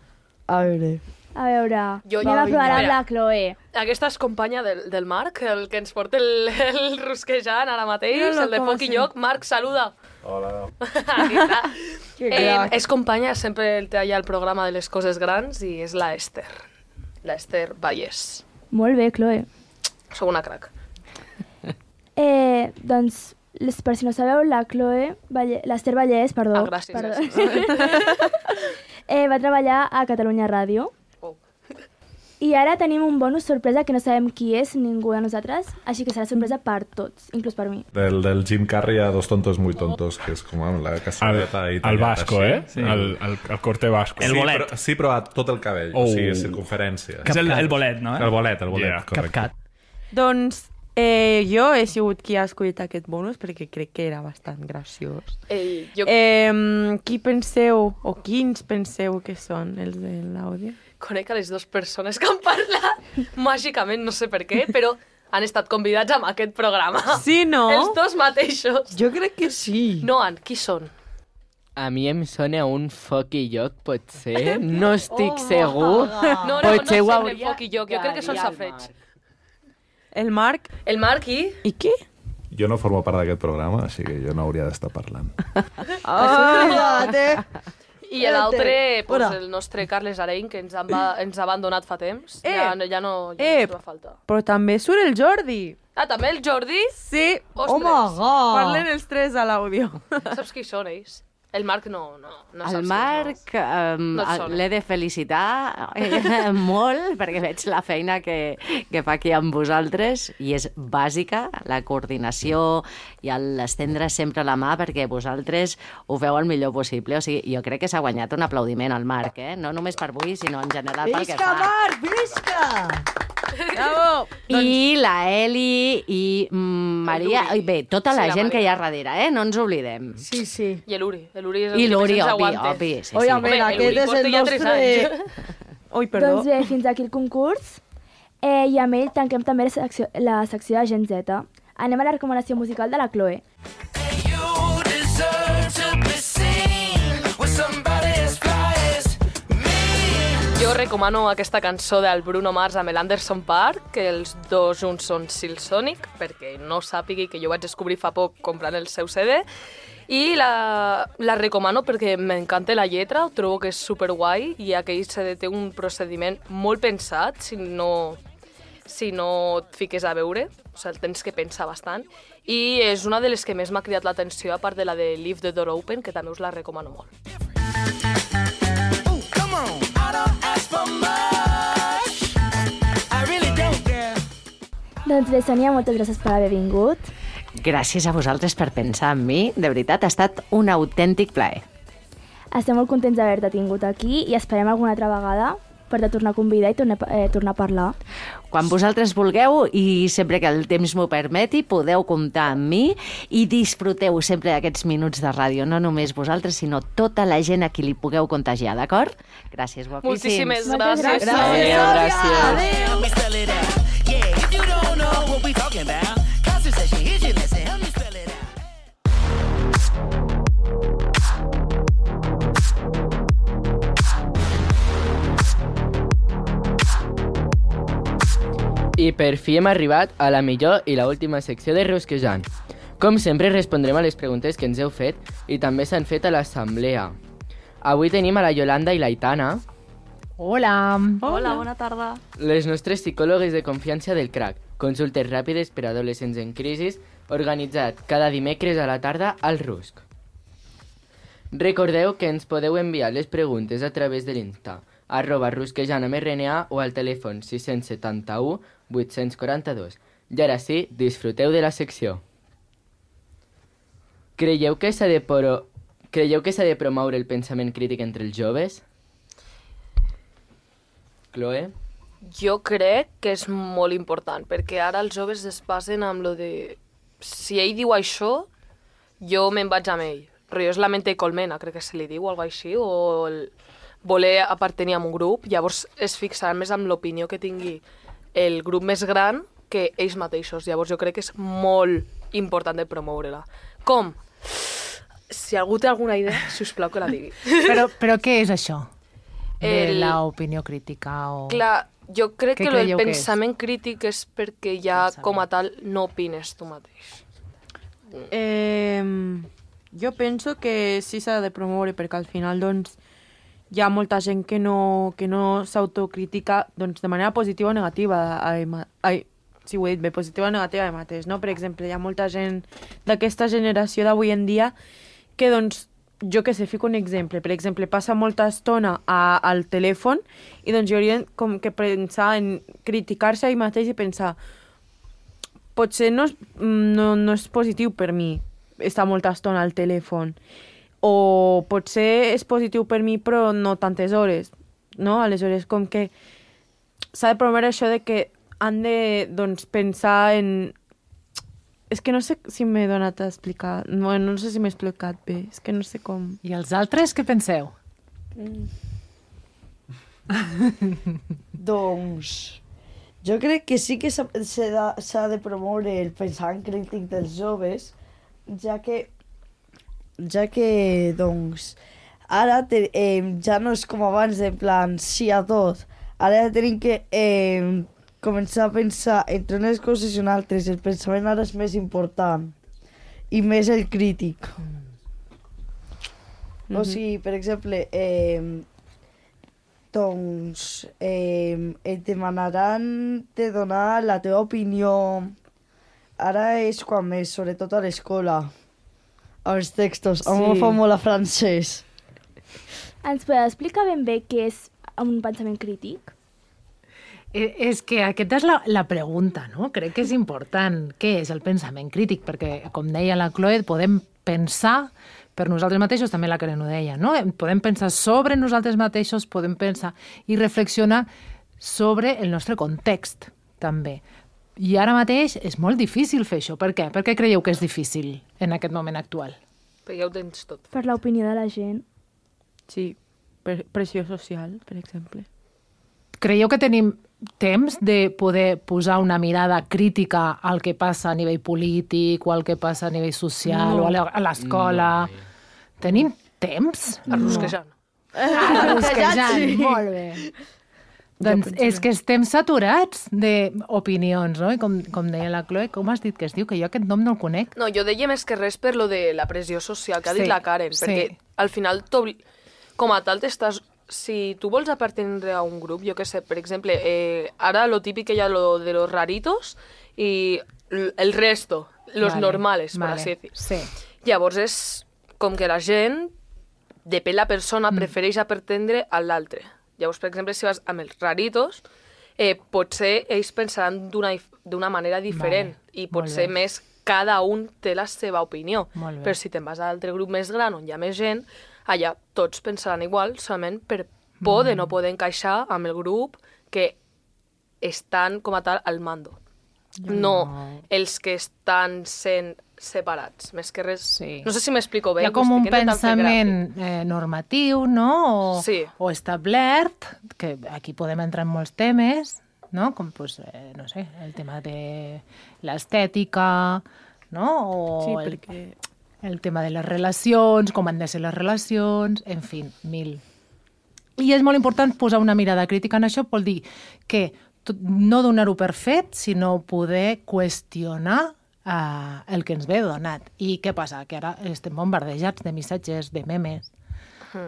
A veure... A veure, anem a provar amb la Chloe. Aquesta és companya del Marc, el que ens porta el rusquejant ara mateix, el de Foc i Lloc. Marc, saluda. Hola. Aquí està. És companya, sempre el té allà al programa de les coses grans i és la Esther. La Esther Vallès. Molt bé, Chloe. Sou una crac. Doncs, per si no sabeu, la Chloe, l'Esther Vallès, perdó. Gràcies. Va treballar a Catalunya Ràdio. I ara tenim un bonus sorpresa que no sabem qui és, ningú de nosaltres, així que serà sorpresa per tots, inclús per mi. Del Jim Carrey a Dos tontos muy tontos, que és com la cassoleta italiana. El vasco, així. Sí. El corte vasco. El bolet. Sí, però a tot el cabell, o sigui, circunferència. Que és el bolet, no? El bolet, correcte. Doncs jo he sigut qui ha escollit aquest bonus perquè crec que era bastant graciós. Qui penseu, o quins penseu que són els de l'àudio? Conec a les dues persones que han parlat màgicament, no sé per què, però han estat convidats a aquest programa. Sí, no? Els dos mateixos. Jo crec que sí. Noan, qui són? A mi em sona un Foc i Lloc, potser. No estic segur. No sembla Foc i Lloc, jo crec que són safareig. El Marc? El Marc i? I qui? Jo no formo part d'aquest programa, així que jo no hauria d'estar parlant. I l'altre, el nostre Carles Arein, que ens ha abandonat fa temps. Ja no ens va faltar. Però també surt el Jordi. Ah, també el Jordi? Sí. Ostres. Oh my God. Parlen els tres a l'àudio. Saps qui són ells? El Marc no saps. El Marc l'he de felicitar molt perquè veig la feina que fa aquí amb vosaltres i és bàsica, la coordinació i l'estendre sempre la mà perquè vosaltres ho feu el millor possible. O sigui, jo crec que s'ha guanyat un aplaudiment al Marc, no només per avui, sinó en general pel que fa. Visca, Marc, visca! Bravo! I la Eli i Maria, bé, tota la gent que hi ha darrere, no ens oblidem. Sí, sí. I l'Uri. L'Uri és I l'Uri, el obvi, sí. Oi, home, aquest és el nostre... Ui, perdó. Doncs bé, fins aquí el concurs. I amb ell tanquem també la secció de Gen Z. Anem a la recomanació musical de la Chloe. Jo Jo recomano aquesta cançó del Bruno Mars amb l'Anderson Park, que els dos junts són Silsonic, perquè no sàpigui que jo vaig descobrir fa poc comprant el seu CD, i la recomano perquè m'encanta la lletra, trobo que és superguai, i aquell CD té un procediment molt pensat, si no et fiques a veure, o sigui, el tens que pensar bastant, i és una de les que més m'ha cridat l'atenció, a part de la de Leave the Door Open, que també us la recomano molt. Doncs bé, Sònia, moltes gràcies per haver vingut. Gràcies a vosaltres per pensar en mi. De veritat, ha estat un autèntic plaer. Estem molt contents d'haver-te tingut aquí i esperem alguna altra vegada per te tornar a convidar i tornar a parlar. Quan vosaltres vulgueu i sempre que el temps m'ho permeti, podeu comptar amb mi i disfruteu sempre d'aquests minuts de ràdio. No només vosaltres, sinó tota la gent a qui li pugueu contagiar, d'acord? Gràcies, guapíssims. Moltíssimes gràcies. I per fi hem arribat a la millor i l'última secció de Rusquejant. Com sempre, respondrem a les preguntes que ens heu fet i també s'han fet a l'assemblea. Avui tenim a la Yolanda i l'Aitana, Hola. Hola, bona tarda. les nostres psicòlogues de confiança del CRAC, consultes ràpides per a adolescents en crisi, organitzat cada dimecres a la tarda al RUSC. Recordeu que ens podeu enviar les preguntes a través de l'Insta, @rusquejant_rna o al telèfon 671 842. I ara sí, disfruteu de la secció. Creieu que s'ha de promoure el pensament crític entre els joves? Chloe? Jo crec que és molt important, perquè ara els joves es basen amb lo de... Si ell diu això, jo me'n vaig amb ell. Però és la mente colmena, crec que se li diu, o alguna així, o voler apartenir a un grup. Llavors es fixaran més en l'opinió que tingui el grup més gran que ells mateixos. Llavors jo crec que és molt important de promoure-la. Com? Si algú té alguna idea, sisplau que la digui. Però què és això? De l'opinió crítica o... Clar, jo crec que el que pensament crític és perquè ja com a tal no opines tu mateix. Jo penso que sí s'ha de promoure perquè al final doncs, hi ha molta gent que no s'autocritica doncs, de manera positiva o negativa. Sí, ho he dit bé, positiva o negativa de mateix, no? Per exemple, hi ha molta gent d'aquesta generació d'avui en dia que, doncs, jo que sé, fico un exemple. Per exemple, passa molta estona al telèfon i doncs hi haurien com que pensar en criticar-se a ell mateix i pensar potser no és positiu per mi estar molta estona al telèfon, o potser és positiu per mi però no tantes hores, no? Aleshores, com que s'ha de promoure això de que han de doncs, pensar en... És que no sé si m'he donat a explicar. No sé si m'he explicat bé. És que no sé com... I els altres, què penseu? Doncs... Jo crec que sí que s'ha de promoure el pensament crític dels joves, ja que doncs, ara ja no és com abans, en plan, sí a tot. Ara tenim que començar a pensar entre unes coses i unes altres. El pensament ara és més important i més el crític. O sigui, per exemple, doncs et demanaran de donar la teva opinió. Ara és quan més, sobretot a l'escola, als textos. A mi em fa molt a francès. Ens podeu explicar ben bé què és un pensament crític? És que aquesta és la pregunta, no? Crec que és important. Què és el pensament crític? Perquè, com deia la Chloe, podem pensar per nosaltres mateixos, també la Karen ho deia, no? Podem pensar sobre nosaltres mateixos, podem pensar i reflexionar sobre el nostre context, també. I ara mateix és molt difícil fer això. Per què? Per què creieu que és difícil en aquest moment actual? Perquè ja ho tens tot. Per l'opinió de la gent. Sí, per pressió social, per exemple. Creieu que tenim temps de poder posar una mirada crítica al que passa a nivell polític o al que passa a nivell social o a l'escola? No. Tenim temps? Arrosquejant. Arrosquejant, sí. molt bé. Doncs és que estem saturats d'opinions, no? I com deia la Chloe, com has dit que es diu? Que jo aquest nom no el conec. No, jo deia més que res per lo de la pressió social que ha dit la Karen, perquè al final, com a tal, si tu vols appartenir a un grup, jo què sé, per exemple, ara lo típic que hi ha lo de los raritos i el resto, los normales, per així dir. Sí. Llavors és com que la gent, depèn la persona, prefereix appartenir a l'altre. Llavors, per exemple, si vas amb els raritos, potser ells pensaran d'una manera diferent i potser més cada un té la seva opinió. Però si te'n vas a l'altre grup més gran on hi ha més gent, allà tots pensaran igual, solament per por de no poder encaixar amb el grup que estan com a tal al mando. No els que estan sent separats, més que res... No sé si m'explico bé. Hi ha com un pensament normatiu, no? O establert, que aquí podem entrar en molts temes, no? Com, no sé, el tema de l'estètica, no? O el tema de les relacions, com han de ser les relacions, en fi, mil. I és molt important posar una mirada crítica en això, vol dir que no donar-ho per fet, sinó poder qüestionar el que ens ve donat. I què passa? Que ara estem bombardejats de missatges, de memes,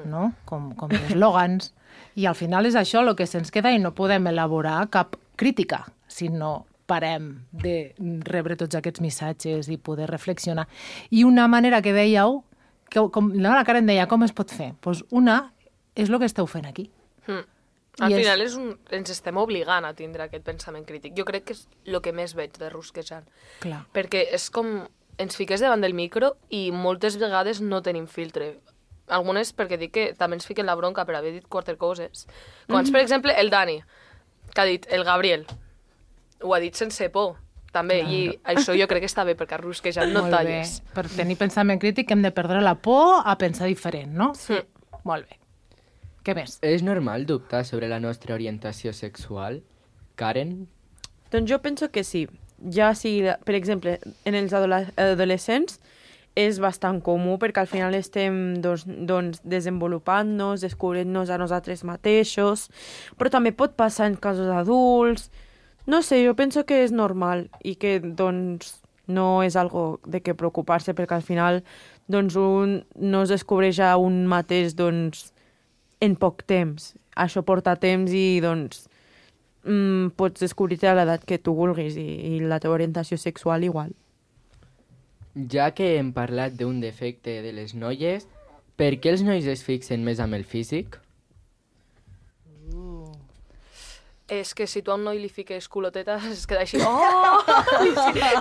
no? Com d'eslògans. I al final és això el que se'ns queda i no podem elaborar cap crítica, sinó parem de rebre tots aquests missatges i poder reflexionar. I una manera que dèieu, com la Karen deia, com es pot fer? Doncs una és el que esteu fent aquí. Al final ens estem obligant a tindre aquest pensament crític. Jo crec que és el que més veig de Rusquejant. Clar. Perquè és com ens fiques davant del micro i moltes vegades no tenim filtre. Algunes perquè dic que també ens fiquen la bronca per haver dit quatre coses. Com per exemple, el Dani, que ha dit el Gabriel. Ho ha dit sense por, també. I això jo crec que està bé, perquè a Rusquejant no talles. Per tenir pensament crític hem de perdre la por a pensar diferent, no? Sí. Molt bé. Què més? És normal dubtar sobre la nostra orientació sexual, Karen? Doncs jo penso que sí. Ja si, per exemple, en els adolescents és bastant comú perquè al final estem desenvolupant-nos, descobrint-nos a nosaltres mateixos, però també pot passar en casos adults. No sé, jo penso que és normal i que doncs no és algo de què preocupar-se perquè al final doncs un no es descobreix a un mateix doncs en poc temps. Això porta temps i doncs pots descobrir-te a l'edat que tu vulguis i la teva orientació sexual igual. Ja que hem parlat d'un defecte de les noies, per què els nois es fixen més amb el físic? És que si tu a un noi li fiques culotetes es queda així... Oh!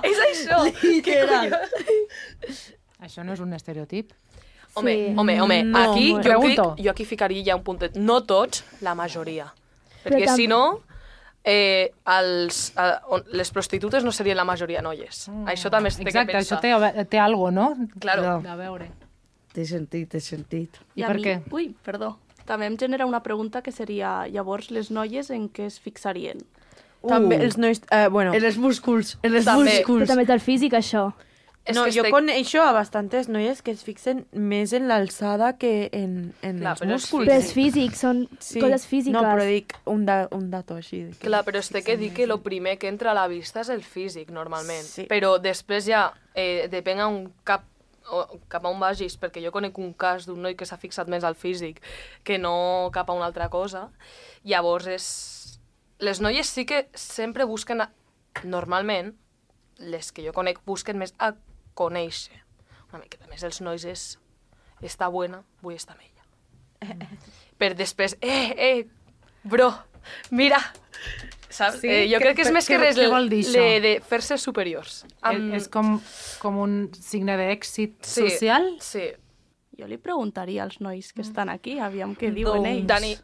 És això! Literal. Això no és un estereotip? Home, aquí jo aquí ficaria ja un puntet. No tots, la majoria. Perquè si no, les prostitutes no serien la majoria noies. Això també es té que pensar. Exacte, això té algo, no? Claro. A veure. Té sentit. I per què? Ui, perdó. També em genera una pregunta que seria, llavors, les noies en què es fixarien? També els nois... En els músculs. Però també té el físic, això. No, jo coneixo a bastantes noies que es fixen més en l'alçada que en els músculs. Però és físic, són coses físiques. No, però dic un dato així. Clar, però es té que dir que el primer que entra a la vista és el físic, normalment. Sí. Però després ja depèn cap a on vagis, perquè jo conec un cas d'un noi que s'ha fixat més al físic que no cap a una altra cosa. Llavors, les noies sí que sempre busquen, normalment, les que jo conec, busquen més a conèixer. Una miqueta més els nois és està buena, vull estar amb ella. Per després, bro, mira, saps? Sí, jo crec que és més que res de fer-se superiors. És com un signe d'èxit social? Sí. Jo li preguntaria als nois que estan aquí, aviam què diuen ells. Dani,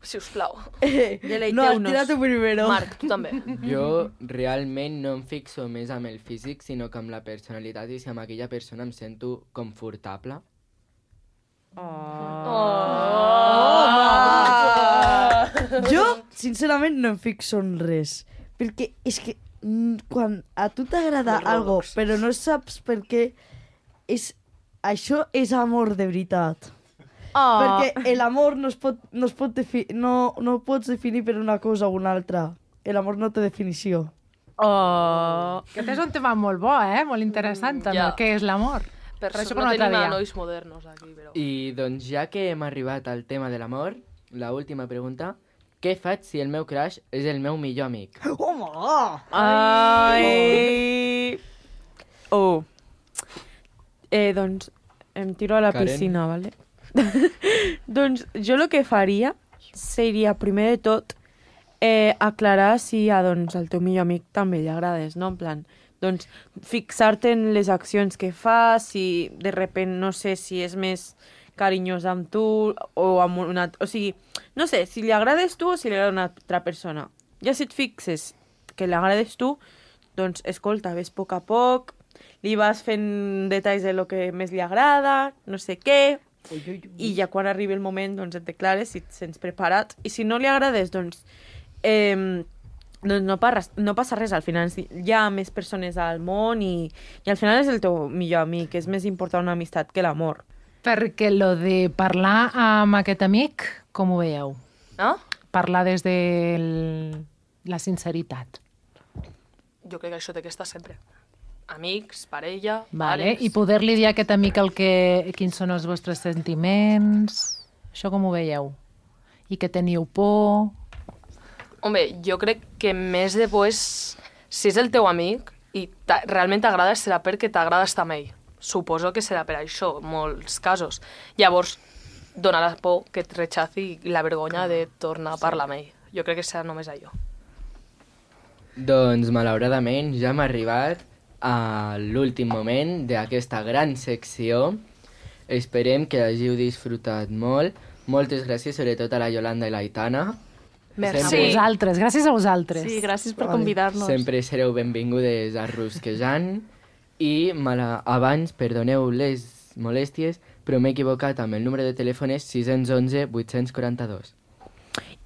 sisplau. No, tira-te primero. Marc, tu també. Jo realment no em fixo més amb el físic, sinó que amb la personalitat i si amb aquella persona em sento confortable. Jo, sincerament, no em fixo en res. Perquè és que quan a tu t'agrada algo, però no saps per què, això és amor de veritat. Perquè l'amor no pots definir per una cosa o una altra. L'amor no té definició. Aquest és un tema molt bo, molt interessant, també. Ja. Què és l'amor? Per Però això per un no altre tenim dia. nois modernos aquí, però... I doncs ja que hem arribat al tema de l'amor, la última pregunta, què faig si el meu crush és el meu millor amic? Home! Ai! Doncs em tiro a la Karen. piscina, ¿vale? Doncs jo el que faria seria, primer de tot, aclarar si doncs, al teu millor amic també li agrades, no? En plan, doncs, fixar-te en les accions que fa, si de repent, no sé, si és més carinyós amb tu o amb una... O sigui, no sé, si li agrades tu o si li agrada una altra persona. Ja si et fixes que li agrades tu, doncs, escolta, ves a poc, li vas fent detalls de lo que més li agrada, no sé què, i ja quan arribi el moment doncs et declares si et sents preparat. I si no li agrades, doncs no passa res. Al final hi ha més persones al món i al final és el teu millor amic. És més important una amistat que l'amor. Perquè lo de parlar amb aquest amic, com ho veieu? Parlar des de la sinceritat. Jo crec que això té que estar sempre. Amics, parella, Vale. pares... I poder-li dir a aquest amic quins són els vostres sentiments... Això com ho veieu? I que teniu por... Home, jo crec que més de por és... Si és el teu amic i realment t'agrada, serà perquè t'agrada estar amb ell. Suposo que serà per això, en molts casos. Llavors, dona la por que et rechaci i la vergonya de tornar a parlar amb ell. Jo crec que serà només allò. Doncs, malauradament, ja hem arribat a l'últim moment d'aquesta gran secció. Esperem que hàgiu disfrutat molt. Moltes gràcies, sobretot a la Yolanda i l'Aitana. Merci. A vosaltres, gràcies a vosaltres. Sí, gràcies per convidar-nos. Sempre sereu benvingudes a Rusquejant. I abans, perdoneu les molèsties, però m'he equivocat amb el número de telèfon és 611 842.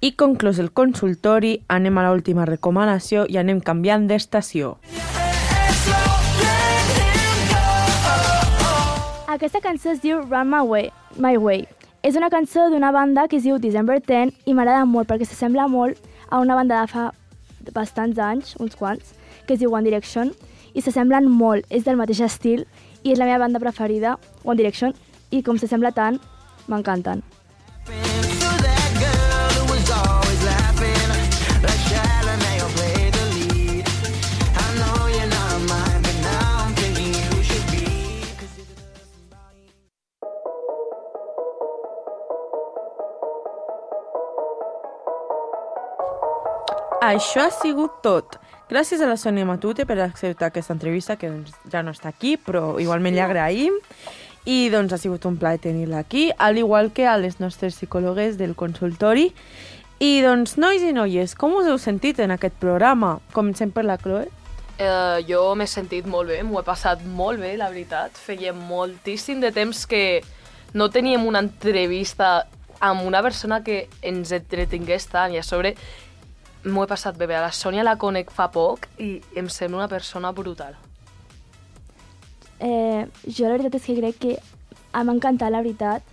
I conclòs el consultori, anem a l'última recomanació i anem canviant d'estació. Aquesta cançó es diu Run My Way. És una cançó d'una banda que es diu December 10 i m'agrada molt perquè s'assembla molt a una banda de fa bastants anys, uns quants, que es diu One Direction, i s'assemblen molt, és del mateix estil i és la meva banda preferida, One Direction, i com s'assembla tant, m'encanten. Això ha sigut tot. Gràcies a la Sònia Matute per acceptar aquesta entrevista, que doncs, ja no està aquí, però igualment li agraïm. I doncs ha sigut un plaer tenir-la aquí, al igual que a les nostres psicòlogues del consultori. I doncs, nois i noies, com us heu sentit en aquest programa? Comencem per la Chloe. Jo m'he sentit molt bé, m'ho he passat molt bé, la veritat. Feia moltíssim de temps que no teníem una entrevista amb una persona que ens entretingués tant, i a sobre m'ho he passat bé. A la Sònia la conec fa poc i em sembla una persona brutal. Jo la veritat és que crec que m'ha encantat, la veritat,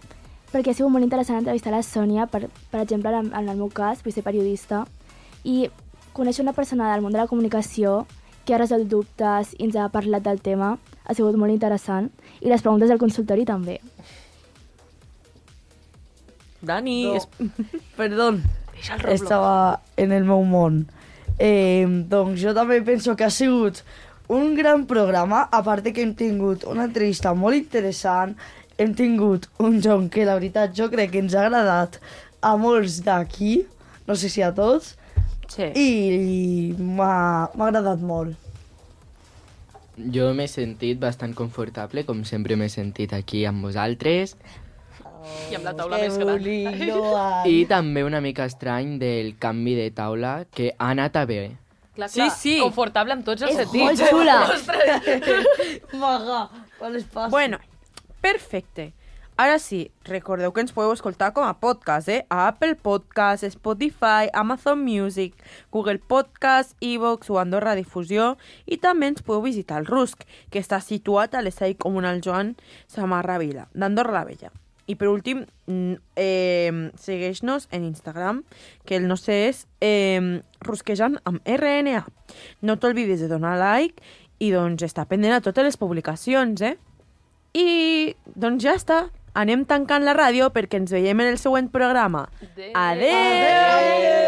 perquè ha sigut molt interessant entrevistar la Sònia, per exemple, en el meu cas, vull ser periodista, i conèixer una persona del món de la comunicació que ha resolt dubtes i ens ha parlat del tema, ha sigut molt interessant, i les preguntes del consultori també. Dani, Perdó, estava en el meu món. Doncs jo també penso que ha sigut un gran programa, a part que hem tingut una entrevista molt interessant, hem tingut un joc que la veritat jo crec que ens ha agradat a molts d'aquí, no sé si a tots, sí. I m'ha agradat molt. Jo m'he sentit bastant confortable, com sempre m'he sentit aquí amb vosaltres. I amb la taula més gran. I també una mica estrany del canvi de taula, que ha anat a bé. Clar, sí. Confortable amb tots els sentits. Molt xula. Maga, quan les passa. Bueno, perfecte. Ara sí, recordeu que ens podeu escoltar com a podcast, a Apple Podcast, Spotify, Amazon Music, Google Podcast, iVoox o Andorra Difusió, i també ens podeu visitar el RUSC, que està situat a l'espai comunal Joan Samarra Vila, d'Andorra la Vella. I per últim, segueix-nos en Instagram, que el nostre és Rusquejant amb RNA. No t'olvidis de donar like i doncs estar pendent a totes les publicacions, I doncs ja està. Anem tancant la ràdio perquè ens veiem en el següent programa. Adéu!